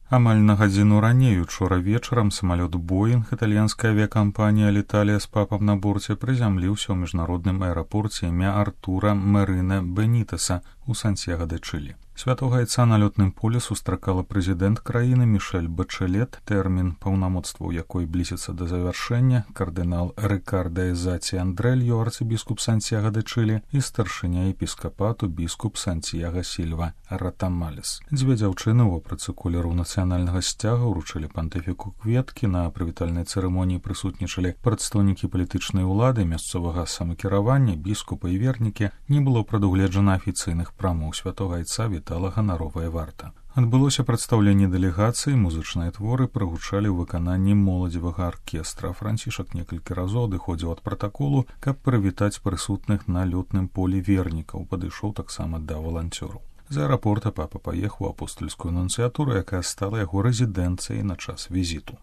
Амаль на гадзіну раней учора вечарам самалёт «Боінг» італьянская авіякампанія «Аліталія» з папам на борце прызямліўся ў міжнародным аэрапорце імя Артура Марына Бенітеса у Сантьяго-де-Чилі. Святога Айца на лётным полі сустракала прэзідэнт краіны Мішэль Бачэлет, тэрмін паўнамоцтваў якой блізіцца да завяршэння, кардынал Рыкарда Эзаці Андрэльо, арцыбіскуп Сантьяго-де-Чилі і старшыня епіскапату біскуп Сантьяго Сільва Ратамалес. Дзве дзяўчыны ў вопратцы колеру нацыянальнага сцяга ўручылі пантыфіку кветкі, на прывітальнай цырымоніі прысутнічалі прадстаўнікі палітычнай улады, мясцовага самакіравання, біскупа і вернікі. Не было прадугледжана афіцыйных прамоў святога Айца, вітала ганаровая варта. Адбылося прадстаўленне дэлегацыі, музычныя творы прагучалі ў выкананні моладзевага аркестра. Францішак некалькі разоў адыходзіў ад пратаколу, каб прывітаць прысутных на лётным полі вернікаў, падышоў таксама да валанцёраў. З аэрапорта папа паехаў у апостальскую нунцыятуру, якая стала яго рэзідэнцыяй на час візіту.